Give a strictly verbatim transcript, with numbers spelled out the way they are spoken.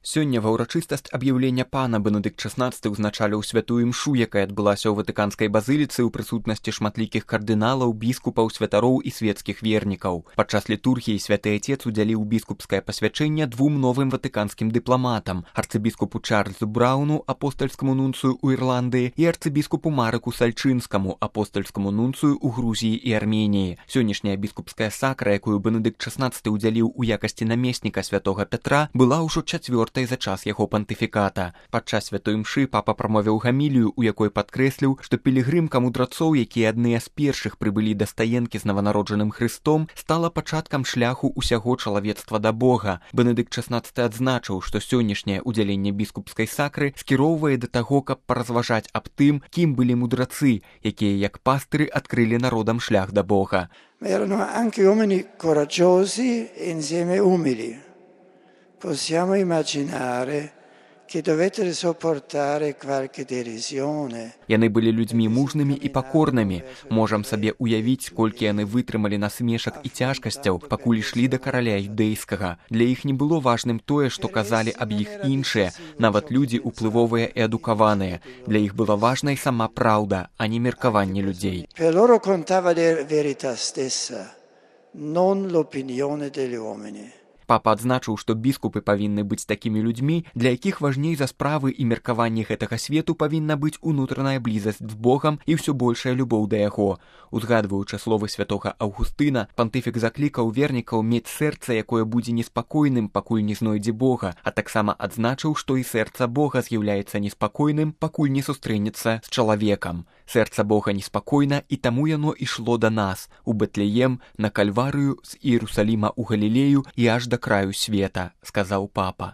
Сёння ва ўрачыстасць аб'яўлення пана Бенедыкт шаснаццаты ўзначаліў святую імшу, якая адбылася ў ватыканскай базыліцы ў прысутнасці шматлікіх кардыналаў, біскупаў, святароў і светскіх вернікаў. Падчас літургіі святы отец удзяліў біскупскае пасвячэнне двум новым ватыканскім дыпламатам: арцыбіскупу Чарльзу Брауну, апостальскаму нунцыю ў Ірландыі, і арцыбіскупу Марыку Сальчынскаму, апостальскаму нунцыю ў Грузіі і Арменіі. Сённяшняя біскупская сакра, якую Бенедыкт шаснаццаты ўдзяліў у якасці намесніка святога Пятра, была ўжо чацвёртай за час яго пантыфіката. Падчас святой імшы папа прамовіў гамілію, у якой падкрэсліў, што пілігрымка мудрацоў, якія адныя з першых прыбылі да стаенкі з наванароджаным Хрыстом, стала пачаткам шляху ўсяго чалавецтва да Бога. Бенедыкт шаснаццаты адзначыў, што сённяшняе ўдзяленне біскупскай сакры скіроўвае да таго, каб паразважаць аб тым, кім былі мудрацы, якія як пастыры адкрылі народам шлях да Бога. Erano anche uomini coraggiosi e insieme umili. Possiamo immaginare che dovettero sopportare qualche derisione. Яны былі людзьмі мужнымі і пакорнымі. Можам сабе уявіць, колькі яны вытрымалі насмешак і цяжкасцяў, пакуль ішлі да караля юдэйскага. Для іх не было важным тое, што казалі аб іх іншыя, нават людзі уплывовыя і адукаваныя. Для іх была важнай сама праўда, а не меркаванне людзей. Per loro contava la verità stessa, non l'opinione degli uomini. Папа адзначыў, што біскупы павінны быць такімі людзьмі, для якіх важней за справы і меркаванні гэтага свету павінна быць унутраная блізасць з Богам і ўсё большая любоў да яго. Узгадваючы словы святога Аўгустына, пантыфік заклікаў вернікаў мець сэрца, якое будзе неспакойным, пакуль не знойдзе Бога, а таксама адзначыў, што і сэрца Бога з'яўляецца неспакойным, пакуль не сустрэнецца з чалавекам. Сэрца Бога неспакойна, і таму яно ішло да нас, у Бэтлеем, на Кальварыю, з Іерусаліма ў Галілею і аж да краю света, сказаў папа.